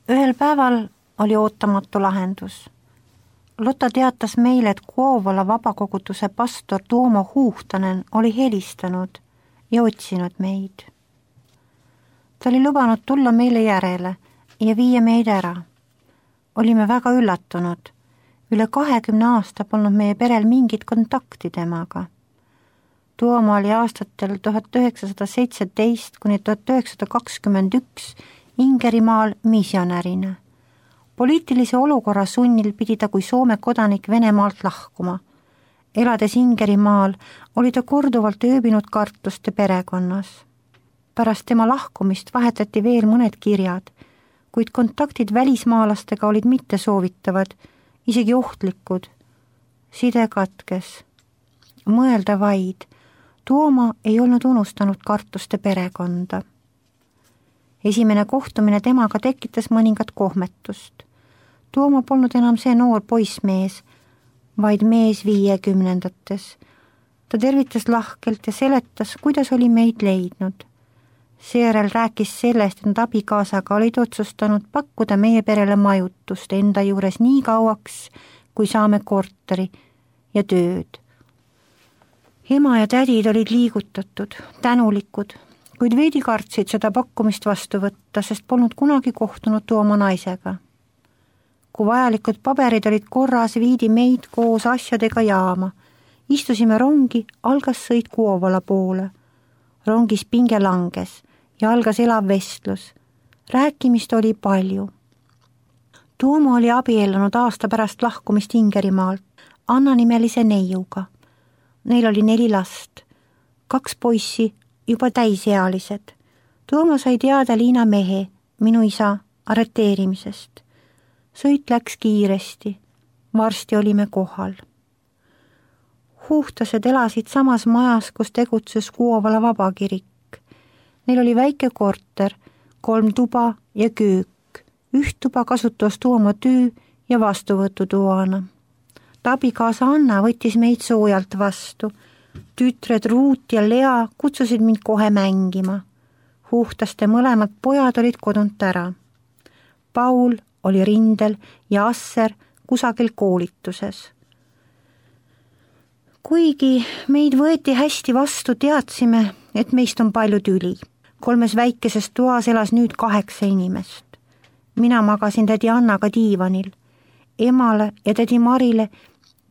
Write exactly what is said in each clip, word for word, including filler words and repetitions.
Ühel päeval oli ootamatu lahendus. Lotta teatas meile, et Kuovola vabakoguduse pastor Tuomo Huhtanen oli helistanud ja otsinud meid. Ta oli lubanud tulla meile järele ja viia meid ära. Olime väga üllatunud. Üle kahekümne aasta polnud meie perel mingit kontakti temaga. Tuomo oli aastatel tuhat üheksasada seitseteist kuni tuhat üheksasada kakskümmend üks Ingerimaal misjonärina. Poliitilise olukorra sunnil pidi ta kui Soome kodanik Venemaalt lahkuma. Elades Ingerimaal oli ta korduvalt ööbinud Kartuste perekonnas. Pärast tema lahkumist vahetati veel mõned kirjad, kuid kontaktid välismaalastega olid mitte soovitavad, isegi ohtlikud. Side katkes. Mõelda vaid, Tuomo ei olnud unustanud Kartuste perekonda. Esimene kohtumine temaga tekitas mõningat kohmetust. Tuomo polnud enam see noor poissmees, vaid mees viiekümnendates. Ta tervitas lahkelt ja seletas, kuidas oli meid leidnud. Seejärel rääkis sellest, et abikaasaga olid otsustanud pakkuda meie perele majutust enda juures nii kauaks, kui saame korteri ja tööd. Ema ja tädid olid liigutatud, tänulikud, kuid veidi kartsid seda pakkumist vastu võtta, sest polnud kunagi kohtunud Tuomo naisega. Kui vajalikud paberid olid korras, viidi meid koos asjadega jaama. Istusime rongi, algas sõit Kuovola poole. Rongis pinge langes ja algas elav vestlus. Rääkimist oli palju. Tuomo oli abiellunud aasta pärast lahkumist Ingerimaalt Anna nimelise neiuga. Neil oli neli last, kaks poissi, juba täisealised. Tuomo sai teada Liina mehe, minu isa, arreteerimisest. Sõit läks kiiresti, varsti olime kohal. Huhtased elasid samas majas, kus tegutses Kuovola vabakirik. Neil oli väike korter, kolm tuba ja köök. Üht tuba kasutas Tuomo töö ja vastuvõtutoana. Abikaasa Anna võttis meid soojalt vastu. Tütred Ruut ja Lea kutsusid mind kohe mängima. Huhtaste mõlemad pojad olid kodunt ära. Paul oli rindel ja Asser kusagil koolituses. Kuigi meid võeti hästi vastu, teadsime, et meist on palju tüli. Kolmes väikeses toas elas nüüd kaheksa inimest. Mina magasin tädi Annaga diivanil. Emale ja tädi Marile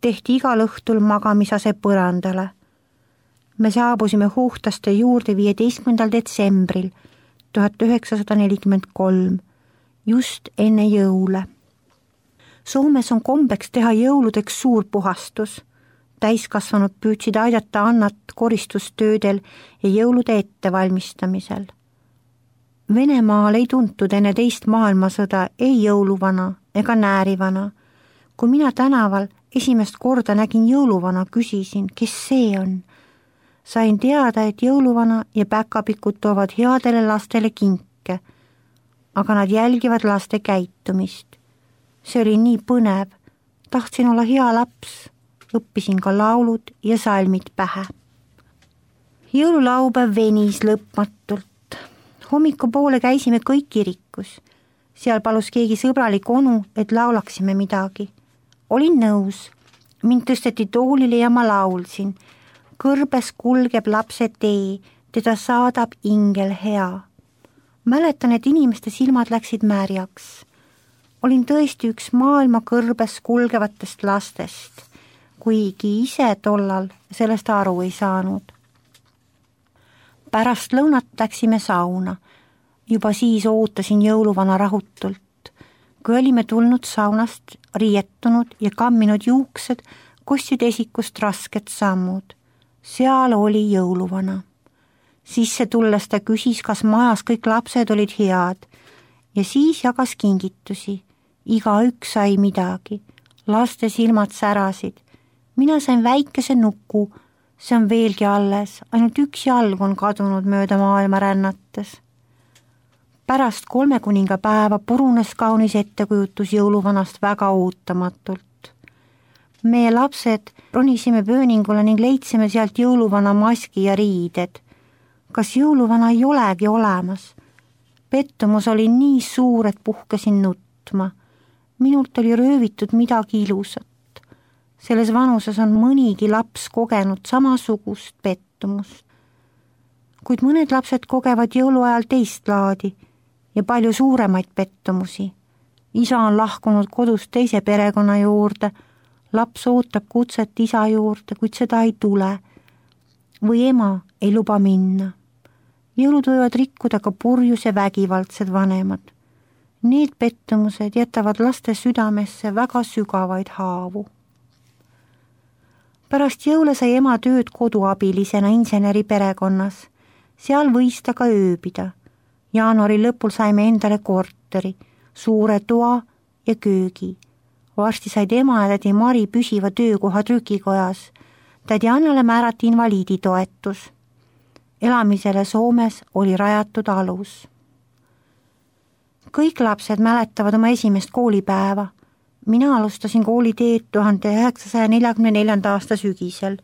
tehti igal õhtul magamisase põrandale. Me saabusime Huhtaste juurde viieteistkümnendal detsembril tuhat üheksasada nelikümmend kolm, just enne jõule. Soomes on kombeks teha jõuludeks suur puhastus. Täiskasvanud püüdsid aidata Annat koristustöödel ja jõulude ettevalmistamisel. Venemaal ei tuntud enne teist maailmasõda ei jõuluvana ega näärivana. Kui mina tänaval esimest korda nägin jõuluvana, küsisin, kes see on. Sain teada, et jõuluvana ja päkapikud toovad headele lastele kinke, aga nad jälgivad laste käitumist. See oli nii põnev. Tahtsin olla hea laps. Õppisin ka laulud ja salmid pähe. Jõululaupäev venis lõpmatult. Hommikupoole käisime kõik kirikus. Seal palus keegi sõbralik onu, et laulaksime midagi. Olin nõus. Mind tõsteti toolile ja ma laulsin. Kõrbes kulgeb lapse tee, teda saadab ingel hea. Mäletan, et inimeste silmad läksid märjaks. Olin tõesti üks maailma kõrbes kulgevatest lastest, kuigi ise tollal sellest aru ei saanud. Pärast lõunat läksime sauna. Juba siis ootasin jõuluvana rahutult. Kui olime tulnud saunast, riietunud ja kamminud juuksed, kostsid esikust rasked sammud. Seal oli jõuluvana. Sisse tulles ta küsis, kas majas kõik lapsed olid head ja siis jagas kingitusi. Iga üks sai midagi. Laste silmad särasid. Mina sain väikese nuku. See on veelgi alles. Ainult üks jalg on kadunud mööda maailma rännates. Pärast kolme kuninga päeva purunes kaunis ettekujutus jõuluvanast väga ootamatult. Meie lapsed ronisime pööningule ning leidsime sealt jõuluvana maski ja riided. Kas jõuluvana ei olegi olemas? pettumus oli nii suur, et puhkesin nutma. Minult oli röövitud midagi ilusat. Selles vanuses on mõnigi laps kogenud samasugust pettumust. Kuid mõned lapsed kogevad jõuluajal teist laadi ja palju suuremaid pettumusi. Isa on lahkunud kodust teise perekonna juurde, laps ootab kutset isa juurde, kuid seda ei tule. Või ema ei luba minna. Jõulud võivad rikkuda ka purjus ja vägivaldsed vanemad. Need pettumused jätavad laste südamesse väga sügavaid haavu. Pärast jõule sai ema tööd koduabilisena inseneri perekonnas. Seal võis ta ka ööbida. Jaanuari lõpul saime endale korteri, suure toa ja köögi. Varsti said ema ja tädi Mari püsiva töökoha trükikojas. Tädi Annale määrati invaliiditoetus. Elamisele Soomes oli rajatud alus. Kõik lapsed mäletavad oma esimest koolipäeva. Mina alustasin kooliteed tuhande üheksasaja neljakümne neljanda aasta sügisel.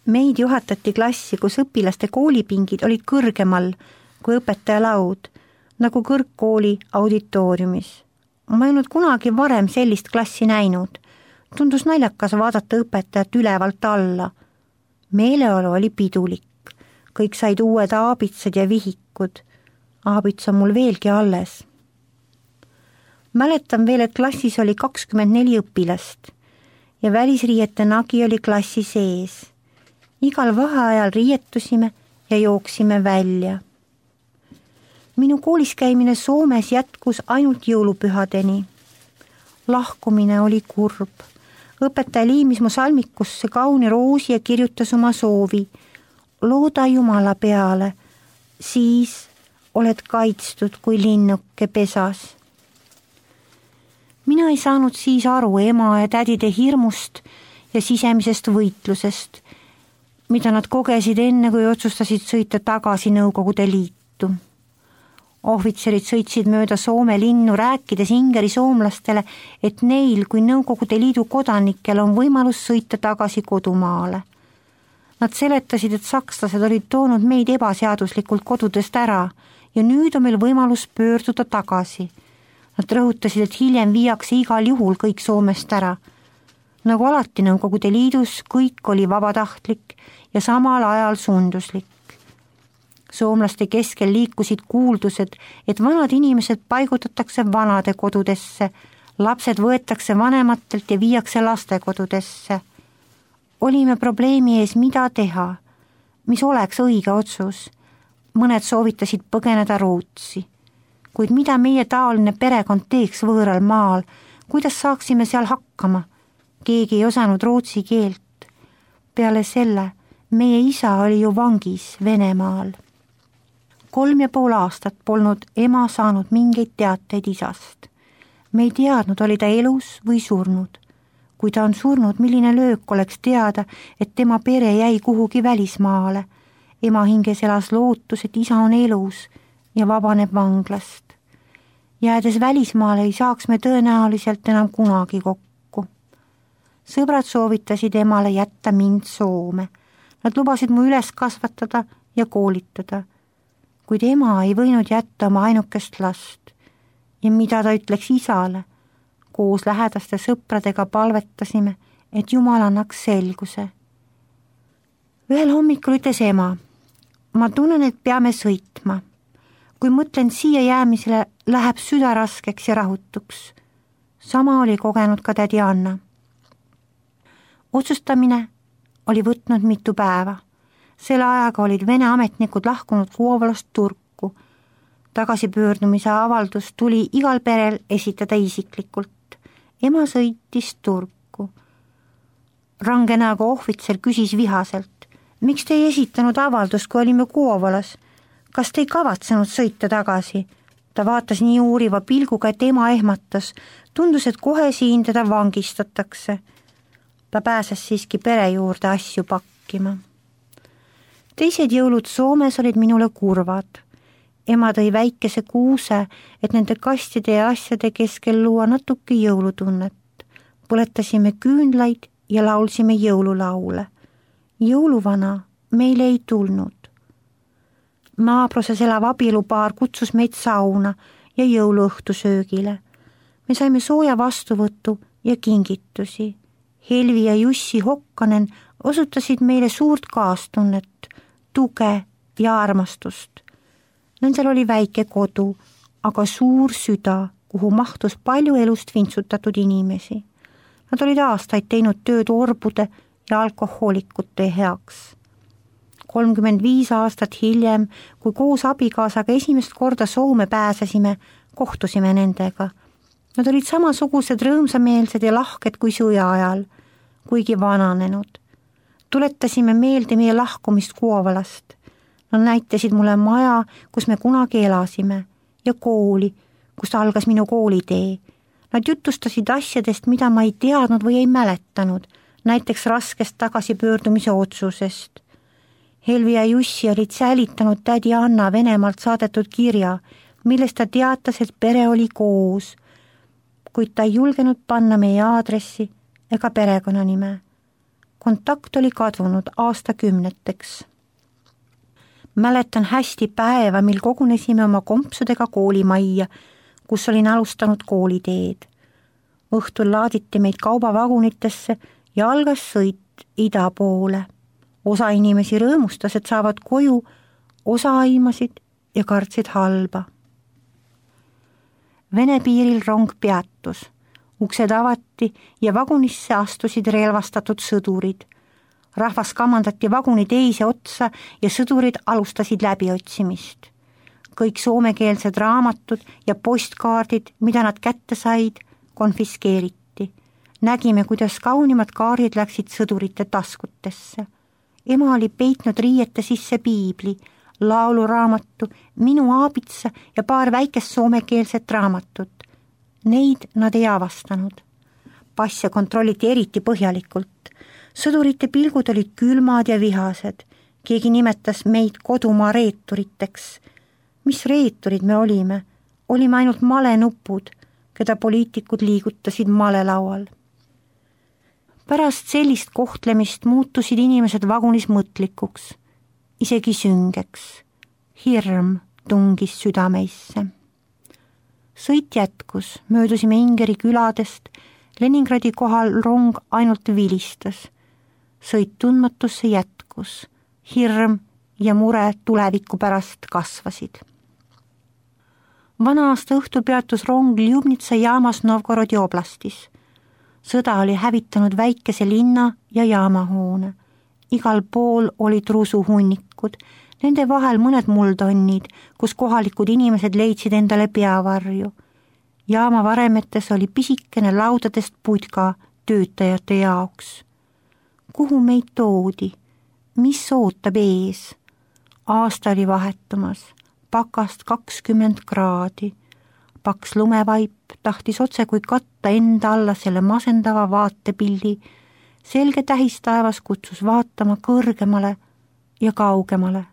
Meid juhatati klassi, kus õpilaste koolipingid olid kõrgemal kui õpetaja laud, nagu kõrgkooli auditooriumis. Ma ei olnud kunagi varem sellist klassi näinud. Tundus naljakas vaadata õpetajat ülevalt alla. Meeleolu oli pidulik. Kõik said uued aabitsad ja vihikud. Aabits on mul veelgi alles. Mäletan veel, et klassis oli kakskümmend neli õpilast ja välisriiete nagi oli klassi sees. Igal vaheajal riietusime ja jooksime välja. Minu koolis käimine Soomes jätkus ainult jõulupühadeni. Lahkumine oli kurb. Õpetaja liimis mu salmikusse kauni roosi ja kirjutas oma soovi. Looda Jumala peale, siis oled kaitstud kui linnuke pesas. Mina ei saanud siis aru ema ja tädide hirmust ja sisemisest võitlusest, mida nad kogesid enne, kui otsustasid sõita tagasi Nõukogude Liitu. Ohvitserid sõitsid mööda Soome linnu, rääkides ingeri soomlastele, et neil kui Nõukogude Liidu kodanikel on võimalus sõita tagasi kodumaale. Nad seletasid, et sakslased olid toonud meid ebaseaduslikult kodudest ära ja nüüd on meil võimalus pöörduda tagasi. Nad rõhutasid, et hiljem viiakse igal juhul kõik Soomest ära. Nagu alati Nõukogude Liidus, kõik oli vabatahtlik ja samal ajal sunduslik. Soomlaste keskel liikusid kuuldused, et vanad inimesed paigutatakse vanade kodudesse, lapsed võetakse vanematelt ja viiakse lastekodudesse. Olime probleemi ees, mida teha, mis oleks õige otsus. Mõned soovitasid põgeneda Rootsi. Kuid mida meie taoline perekond teeks võõral maal, kuidas saaksime seal hakkama? Keegi ei osanud rootsi keelt. Peale selle, meie isa oli ju vangis Venemaal. Kolm ja pool aastat polnud ema saanud mingeid teateid isast. Me ei teadnud, oli ta elus või surnud. Kui ta on surnud, milline löök oleks teada, et tema pere jäi kuhugi välismaale. Ema hinges elas lootus, et isa on elus ja vabaneb vanglast. Jäädes välismaale ei saaks me tõenäoliselt enam kunagi kokku. Sõbrad soovitasid emale jätta mind Soome. Nad lubasid mu üles kasvatada ja koolitada. Kuid ema ei võinud jätta oma ainukest last. Ja mida ta ütleks isale? Koos lähedaste sõpradega palvetasime, et Jumal annaks selguse. Ühel hommikul ütles ema, ma tunnen, et peame sõitma. Kui mõtlen siia jäämisele, läheb süda raskeks ja rahutuks. Sama oli kogenud ka tädi Anna. Otsustamine oli võtnud mitu päeva. Selle ajaga olid Vene ametnikud lahkunud Kuovalast Turku. Tagasipöördumise avaldus tuli igal perel esitada isiklikult. Ema sõitis Turku. Range näoga ohvitser küsis vihaselt, miks te ei esitanud avaldust, kui olime Kuovalas? Kas te ei kavatsenud sõita tagasi? Ta vaatas nii uuriva pilguga, et ema ehmatas. Tundus, et kohe siin teda vangistatakse. Ta pääses siiski pere juurde asju pakkima. Teised jõulud Soomes olid minule kurvad. Ema tõi väikese kuuse, et nende kastide ja asjade keskel luua natuke jõulutunnet. Põletasime küünlaid ja laulsime jõululaule. Jõuluvana meile ei tulnud. Naabruses elav abielupaar kutsus meid sauna ja jõuluõhtusöögile. Me saime sooja vastuvõttu ja kingitusi. Helvi ja Jussi Hokkanen osutasid meile suurt kaastunnet, tuge ja armastust. Nendel oli väike kodu, aga suur süda, kuhu mahtus palju elust vintsutatud inimesi. Nad olid aastaid teinud tööd orbude ja alkohoolikute heaks. kolmkümmend viis aastat hiljem, kui koos abikaasaga esimest korda Soome pääsesime, kohtusime nendega. Nad olid samasugused rõõmsameelsed ja lahked kui sõja ajal, kuigi vananenud. Tuletasime meelde meie lahkumist Kuovalast. Nad näitasid mulle maja, kus me kunagi elasime, ja kooli, kust algas minu koolitee. Nad jutustasid asjadest, mida ma ei teadnud või ei mäletanud, näiteks raskest tagasipöördumise otsusest. Helvi ja Jussi olid säilitanud tädi Anna Venemaalt saadetud kirja, millest ta teatas, et pere oli koos, kuid ta ei julgenud panna meie aadressi ega perekonnanime. Kontakt oli kadunud aastakümneteks. Mäletan hästi päeva, mil kogunesime oma kompsudega koolimajja, kus olin alustanud kooliteed. Õhtul laaditi meid kaubavagunitesse ja algas sõit ida poole. Osa inimesi rõõmustas, et saavad koju, osa aimasid ja kartsid halba. Vene piiril rong peatus. Uksed avati ja vagunisse astusid relvastatud sõdurid. Rahvas kamandati vaguni teise otsa ja sõdurid alustasid läbiotsimist. Kõik soomekeelsed raamatud ja postkaardid, mida nad kätte said, konfiskeeriti. Nägime, kuidas kaunimad kaardid läksid sõdurite taskutesse. Ema oli peitnud riiete sisse piibli, lauluraamatu, minu aabitsa ja paar väikest soomekeelset raamatut. Neid nad ei avastanud. Passe kontrolliti eriti põhjalikult. Sõdurite pilgud olid külmad ja vihased. Keegi nimetas meid kodumaa reeturiteks. Mis reeturid me olime? Olime ainult malenupud, keda poliitikud liigutasid malelaual. Pärast sellist kohtlemist muutusid inimesed vagunis mõtlikuks, isegi süngeks. Hirm tungis südameisse. Sõit jätkus, möödusime Ingeri küladest, Leningradi kohal rong ainult vilistas. Sõit tundmatusse jätkus, hirm ja mure tuleviku pärast kasvasid. Vana aasta õhtu peatus rong Ljubnitsa jaamas Novgorodi oblastis. Sõda oli hävitanud väikese linna ja jaamahoone. Igal pool olid rusuhunnikud, nende vahel mõned muldonnid, kus kohalikud inimesed leidsid endale peavarju. Jaama varemetes oli pisikene laudadest putka töötajate jaoks. Kuhu meid toodi? Mis ootab ees? Aasta oli vahetumas, pakast kakskümmend kraadi. Paks lumevaip tahtis otse kui katta enda alla selle masendava vaatepildi. Selge tähistaevas kutsus vaatama kõrgemale ja kaugemale.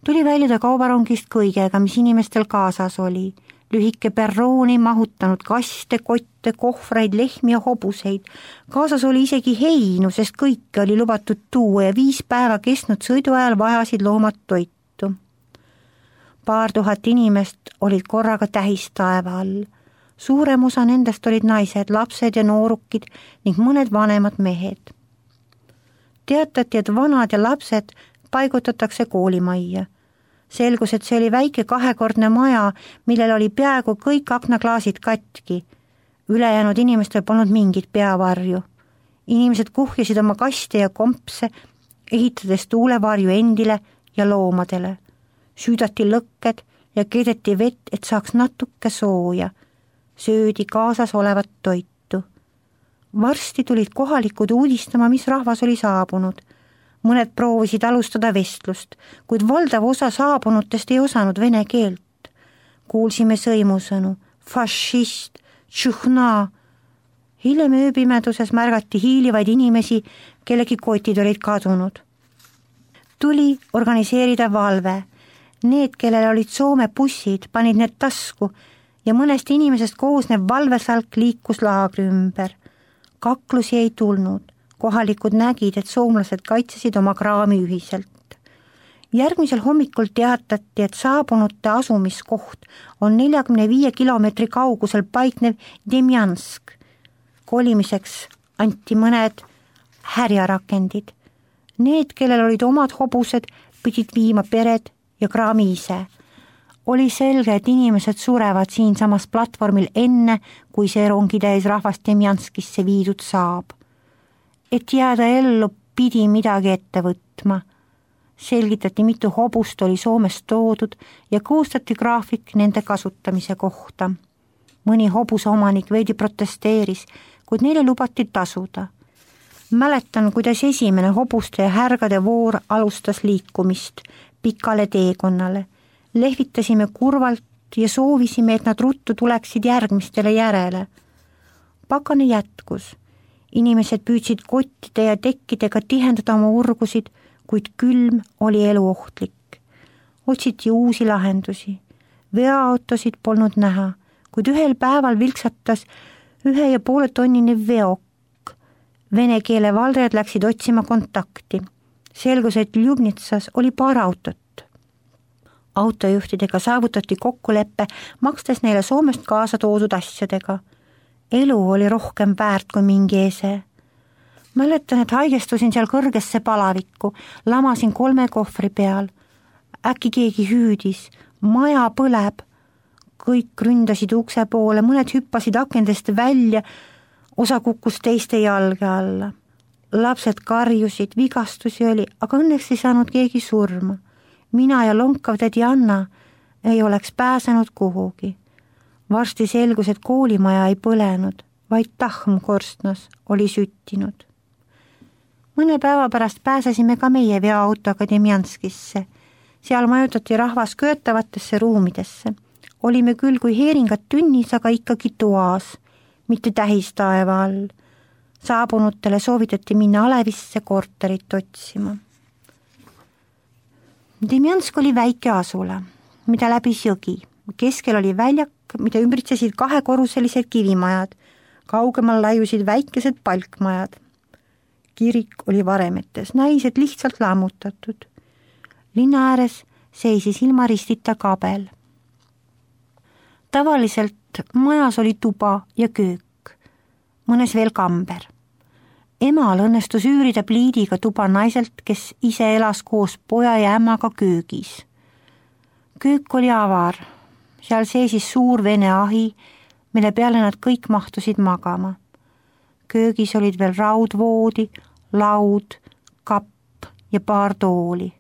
Tuli väljuda kaubarongist kõigega, mis inimestel kaasas oli. Lühike perrooni mahutanud kaste, kotte, kohvreid, lehmi ja hobuseid. Kaasas oli isegi heinu, sest kõike oli lubatud tuua ja viis päeva kestnud sõidu ajal vajasid loomad toitu. Paar tuhat inimest olid korraga tähistaeva all. Suurem osa nendest olid naised, lapsed ja noorukid ning mõned vanemad mehed. Teatati, et vanad ja lapsed paigutatakse koolimajja. Selgus, et see oli väike kahekordne maja, millel oli peaaegu kõik aknaklaasid katki. Ülejäänud inimestel polnud mingit peavarju. Inimesed kuhjasid oma kaste ja kompse, ehitades tuulevarju endile ja loomadele. Süüdati lõkked ja keedeti vett, et saaks natuke sooja. Söödi kaasas olevat toitu. Varsti tulid kohalikud uudistama, mis rahvas oli saabunud. Mõned proovisid alustada vestlust, kuid valdav osa saabunutest ei osanud vene keelt. Kuulsime sõimusõnu, fašist, tšuhna. Hiljem ööpimeduses märgati hiilivaid inimesi, kellegi kotid olid kadunud. Tuli organiseerida valve. Need, kellel olid Soome bussid, panid need tasku ja mõnest inimesest koosnev valvesalk liikus laagri ümber. Kaklusi ei tulnud. Kohalikud nägid, et soomlased kaitsesid oma kraami ühiselt. järgmisel hommikul teatati, et saabunute asumiskoht on neljakümne viie kilomeetri kaugusel paiknev Demjansk. Kolimiseks anti mõned härjarakendid. Need, kellel olid omad hobused, pidid viima pered ja kraami ise. Oli selge, et inimesed surevad siinsamas platvormil enne, kui see rongitäis rahvast Demjanskisse viidud saab. Et jääda ellu, pidi midagi ette võtma. Selgitati, mitu hobust oli Soomest toodud ja koostati graafik nende kasutamise kohta. Mõni hobuse omanik veidi protesteeris, kuid neile lubati tasuda. Mäletan, kuidas esimene hobuste ja härgade voor alustas liikumist pikale teekonnale. Lehvitasime kurvalt ja soovisime, et nad ruttu tuleksid järgmistele järele. Pakane jätkus. Inimesed püüdsid kottide ja tekkidega tihendada oma urgusid, kuid külm oli eluohtlik. Otsiti uusi lahendusi. Veoautosid polnud näha, kuid ühel päeval vilksatas ühe ja poole tonnine veok. Vene keele valdajad läksid otsima kontakti. Selgus, et Ljubnitsas oli paar autot. Autojuhtidega saavutati kokkuleppe, makstes neile Soomest kaasa toodud asjadega. Elu oli rohkem väärt kui mingi ese. Mäletan, et haigestusin seal kõrgesse palavikku, lamasin kolme kohvri peal. Äkki keegi hüüdis, maja põleb. Kõik ründasid ukse poole, mõned hüppasid akendest välja, osa kukkus teiste jalge alla. Lapsed karjusid, vigastusi oli, aga õnneks ei saanud keegi surma. Mina ja lonkav tädi Anna ei oleks pääsenud kuhugi. Varsti selgus, et koolimaja ei põlenud, vaid tahm korstnas oli süttinud. Mõne päeva pärast pääsesime ka meie veoautoga Demjanskisse. Seal majutati rahvas köötavatesse ruumidesse. Olime küll kui heeringad tünnis, aga ikkagi toas, mitte tähistaeva all. Saabunutele soovitati minna Alevisse korterit otsima. Demjansk oli väike asula, mida läbis jõgi. Keskel oli väljak, mida ümbritsesid kahekorruselised kivimajad. Kaugemal laiusid väikesed palkmajad. Kirik oli varemetes, naised lihtsalt lammutatud. Linna ääres seisis ilma ristita kabel. Tavaliselt majas oli tuba ja köök, mõnes veel kamber. Emal õnnestus üürida pliidiga tuba naiselt, kes ise elas koos poja ja ämmaga köögis. Köök oli avar, seal seisis suur vene ahi, mille peale nad kõik mahtusid magama. Köögis olid veel raudvoodi, laud, kapp ja paar tooli.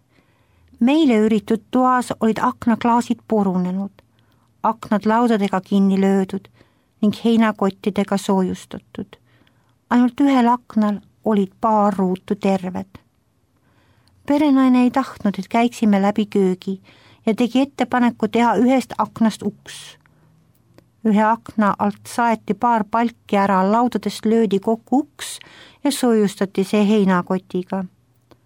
Meile üritud toas olid aknaklaasid purunenud, aknad laudadega kinni löödud ning heinakottidega soojustatud. Ainult ühel aknal olid paar ruutu terved. Perenaine ei tahtnud, et käiksime läbi köögi ja tegi ettepaneku teha ühest aknast uks. Ühe akna alt saeti paar palki ära, laudadest löödi kokku uks ja soojustati see heinakotiga.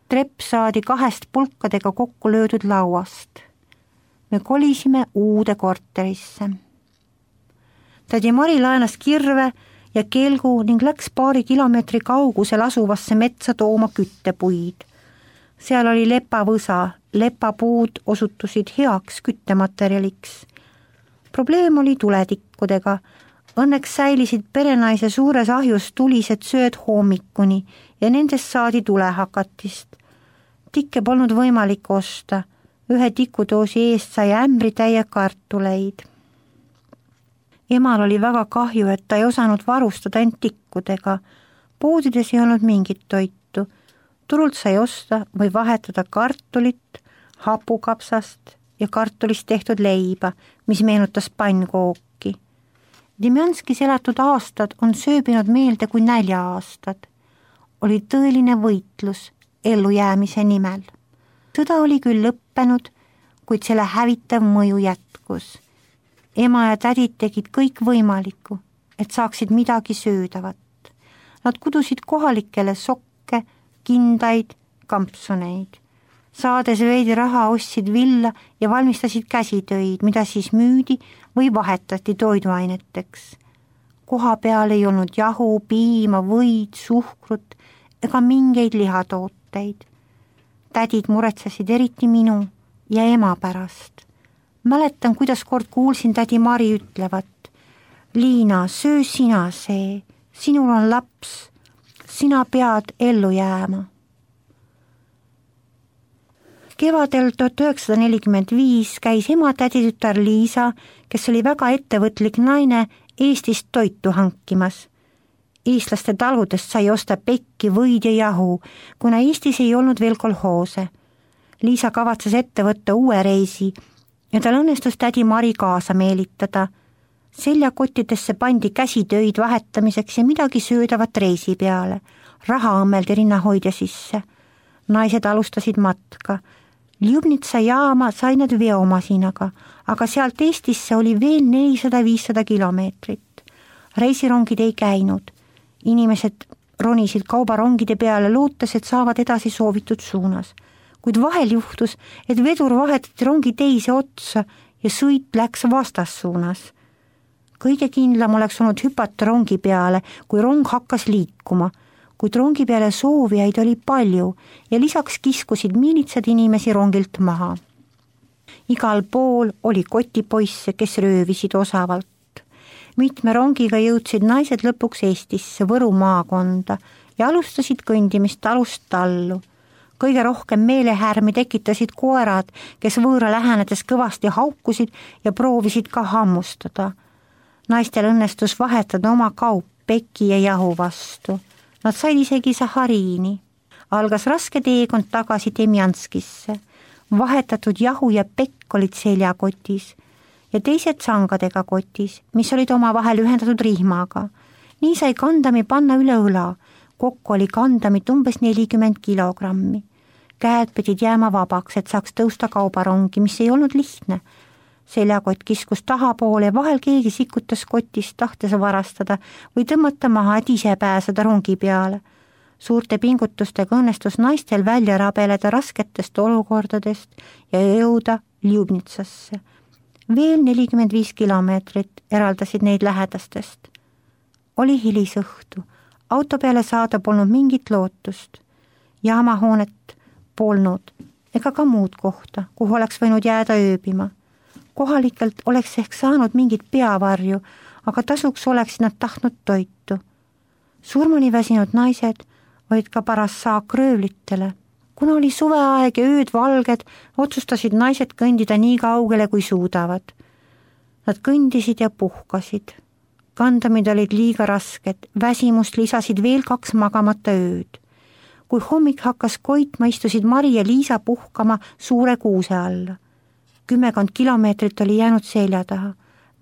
Trepp saadi kahest pulkadega kokku löödud lauast. Me kolisime uude korterisse. Tädi Mari laenas kirve ja kelgu ning läks paari kilomeetri kaugusel asuvasse metsa tooma küttepuid. Seal oli lepavõsa, lepapuud osutusid heaks küttematerjaliks. Probleem oli tuletikkudega. Õnneks säilisid perenaise suures ahjus tulised sööd hommikuni ja nendest saadi tulehakatist. Tikke polnud võimalik osta. Ühe tikudoosi eest sai ämbri täie kartuleid. Emal oli väga kahju, et ta ei osanud varustada end tikkudega. Poodides ei olnud mingit toitu. Turult sai osta või vahetada kartulit, hapukapsast ja kartulist tehtud leiba, mis meenutas pannkooki. Demjanskis elatud aastad on sööbinud meelde kui nälja-aastad. Oli tõeline võitlus ellujäämise nimel. Sõda oli küll lõppenud, kuid selle hävitav mõju jätkus. Ema ja tädid tegid kõik võimalikku, et saaksid midagi söödavat. Nad kudusid kohalikele sokke, kindaid, kampsuneid. Saades veidi raha ostsid villa ja valmistasid käsitöid, mida siis müüdi või vahetati toiduaineteks. Koha peal ei olnud jahu, piima, võid, suhkrut ega mingeid lihatooteid. tädid muretsesid eriti minu ja ema pärast. Mäletan, kuidas kord kuulsin tädi Mari ütlevat: Liina, söö sina see, sinul on laps, sina pead ellu jääma. Kevadel tuhat üheksasada nelikümmend viis käis ema täditütar Liisa, kes oli väga ettevõtlik naine, Eestist toitu hankimas. Eestlaste taludest sai osta pekki, võid ja jahu, kuna Eestis ei olnud veel kolhoose. Liisa kavatses ette võtta uue reisi ja tal õnnestus tädi Mari kaasa meelitada. Seljakottidesse pandi käsitöid vahetamiseks ja midagi söödavat reisi peale. Raha õmmeldi rinnahoidja sisse. Naised alustasid matka. Ljubnitsa jaama sai nad veomasinaga, aga sealt Eestisse oli veel nelisada viissada kilomeetrit. Reisirongid ei käinud. Inimesed ronisid kaubarongide peale, lootes, et saavad edasi soovitud suunas. Kuid vahel juhtus, et vedur vahetati rongi teise otsa ja sõit läks vastassuunas. Kõige kindlam oleks olnud hüpata rongi peale, kui rong hakkas liikuma, kuid rongi peale soovijaid oli palju ja lisaks kiskusid miilitsad inimesi rongilt maha. Igal pool oli kotipoisse, kes röövisid osavalt. Mitme rongiga jõudsid naised lõpuks Eestisse, Võru maakonda ja alustasid kõndimist talust tallu. Kõige rohkem meelehärmi tekitasid koerad, kes võõra lähenedes kõvasti haukusid ja proovisid ka hammustada. Naistel õnnestus vahetada oma kaup peki ja jahu vastu. Nad said isegi sahariini. Algas raske teekond tagasi Demjanskisse. Vahetatud jahu ja pekk olid seljakotis ja teised sangadega kotis, mis olid oma vahel ühendatud rihmaga. Nii sai kandami panna üle õla. Kokku oli kandamit umbes nelikümmend kilogrammi. Käed pidid jääma vabaks, et saaks tõusta kaubarongi, mis ei olnud lihtne. Seljakott kiskus tahapoole ja vahel keegi sikutas kotist, tahtes varastada või tõmmata maha, et ise pääseda rongi peale. Suurte pingutustega õnnestus naistel välja rabeleda rasketest olukordadest ja jõuda Ljubnitsasse. Veel nelikümmend viis kilomeetrit eraldasid neid lähedastest. Oli hilisõhtu. Auto peale saada polnud mingit lootust. Jaamahoonet polnud ega ka muud kohta, kuhu oleks võinud jääda ööbima. Kohalikelt oleks ehk saanud mingit peavarju, aga tasuks oleksid nad tahtnud toitu. Surmani väsinud naised olid ka paras saak röövlitele. Kuna oli suveaeg ja ööd valged, otsustasid naised kõndida nii kaugele, kui suudavad. Nad kõndisid ja puhkasid. Kandamid olid liiga rasked, väsimust lisasid veel kaks magamata ööd. Kui hommik hakkas koitma, istusid Mari ja Liisa puhkama suure kuuse alla. Kümmekond kilomeetrit oli jäänud selja taha.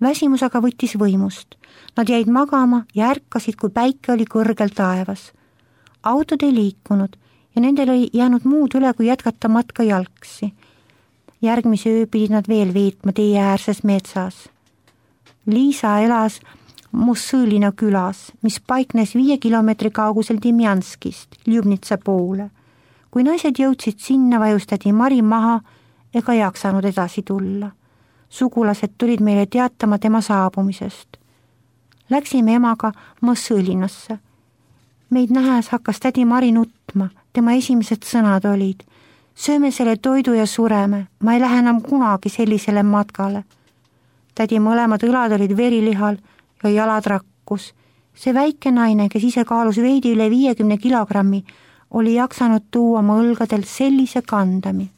Väsimus aga võttis võimust. Nad jäid magama ja ärkasid, kui päike oli kõrgel taevas. Autod ei liikunud ja nendel oli jäänud muud üle, kui jätkata matka jalgsi. Järgmise öö pidid nad veel veetma tee äärses metsas. Liisa elas Mussõlina külas, mis paiknes viie kilomeetri kaugusel Demjanskist, Ljubnitsa poole. Kui naised jõudsid sinna, vajustati Mari maha ega jaksanud edasi tulla. Sugulased tulid meile teatama tema saabumisest. Läksime emaga Mussõlinasse. Meid nähes hakkas tädi Mari nutma, tema esimesed sõnad olid: sööme selle toidu ja sureme, ma ei lähe enam kunagi sellisele matkale. Tädi mõlemad õlad olid verilihal ja jalad rakkus. See väike naine, kes ise kaalus veidi üle viiekümne kilogrammi, oli jaksanud tuua oma õlgadel sellise kandami.